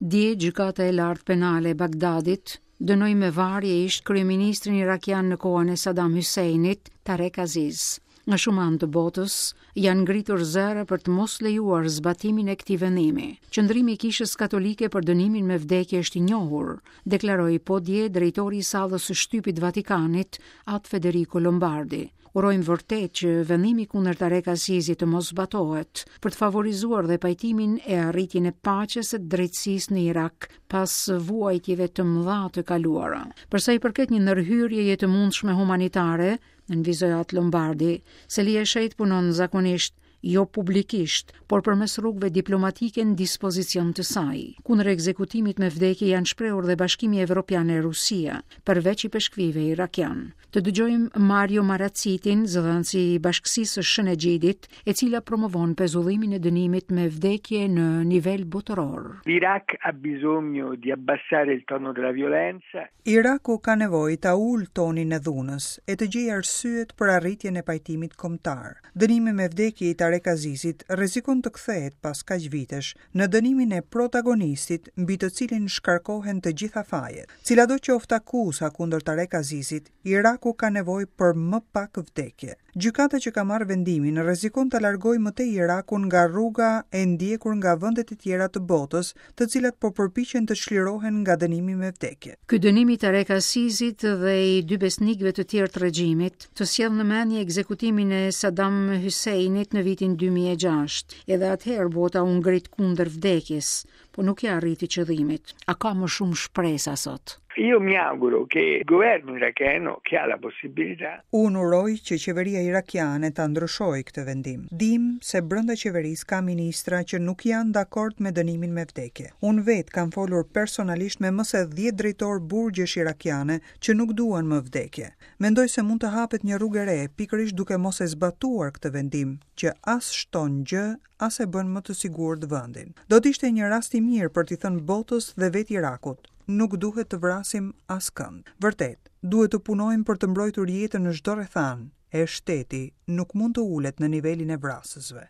Dje Gjykata e Lartë Penale e Bagdadit dënoi me varje ish-kryeministrin irakian në kohën e Saddam Husseinit, Tarek Aziz. Nga shumë anë të botës janë ngritur zëra për të mos lejuar zbatimin e këtij vendimi. Qëndrimi i Kishës Katolike për dënimin me vdekje është i njohur, deklaroi po dje drejtori i sallës së shtypit të Vatikanit, At Federico Lombardi. Urojmë vërtet që vendimi kundër Tarek Azizit të mos zbatohet, për të favorizuar dhe pajtimin e arritjen e paqes e drejtësisë në Irak pas vuajtjeve të mëdha të kaluara. Për sa i përket një ndërhyrjeje të mundshme humanitare, nënvizoi At Lombardi, Selia e Shenjtë punon zakonisht jo publikisht, por përmes rrugëve diplomatike në dispozicion të saj. Kundër ekzekutimit me vdekje janë shprehur dhe Bashkimi Evropian e Rusia, përveç ipeshkvijve irakianë. Të dëgjojmë Mario Marazitin, zëdhënësi i Bashkësisë së Shën Egjidit, e cila promovon pezullimin e dënimit me vdekje në nivel botëror. L'Iraq ha bisogno di abbassare il tono della violenza. Iraku ka nevojë ta ulë tonin e dhunës e të gjejë arsyet për arritjen e pajtimit kombëtar. Dënimi me vdekje i Tarek Azizit rrezikon të kthehet pas kaq vitesh në dënimin e protagonistit mbi të cilin shkarkohen të gjitha fajet. Cilado qoftë akuza kundër Tarek Azizit, Iraku ka nevojë për më pak vdekje. Gjykata që ka marrë vendimin rrezikon ta largojë më tej Irakun nga rruga e ndjekur nga vendet e tjera të botës, të cilat po përpiqen të çlirohen nga dënimi me vdekje. Ky dënim i Tarek Azizit dhe i dy besnikëve të tjerë të regjimit, të sjell në mendje ekzekutimin e Saddam Husseinit në vitin 2006. Edhe atëherë bota u ngrit kundër vdekjes, po nuk ia arriti qëllimit. A ka më shumë shpresa sot? Io mi auguro che il governo iracheno, che ha la possibilità. Unë uroj që qeveria irakiane ta ndryshojë këtë vendim. Dimë se brenda qeverisë ka ministra që nuk janë dakord me dënimin me vdekje. Unë vetë kam folur personalisht me më se dhjetë drejtorë burgjesh irakiane që nuk duan më vdekje. Mendoj se mund të hapet një rrugë e re, pikërisht duke mos e zbatuar këtë vendim, që as shton gjë, as e bën më të sigurt vendin. Do të ishte një rast i mirë për t'i thënë botës dhe vetë Irakut, nuk duhet të vrasim askënd. Vërtet, duhet të punojmë për të mbrojtur jetën në çdo rrethanë, e shteti nuk mund të ulet në nivelin e vrasësve.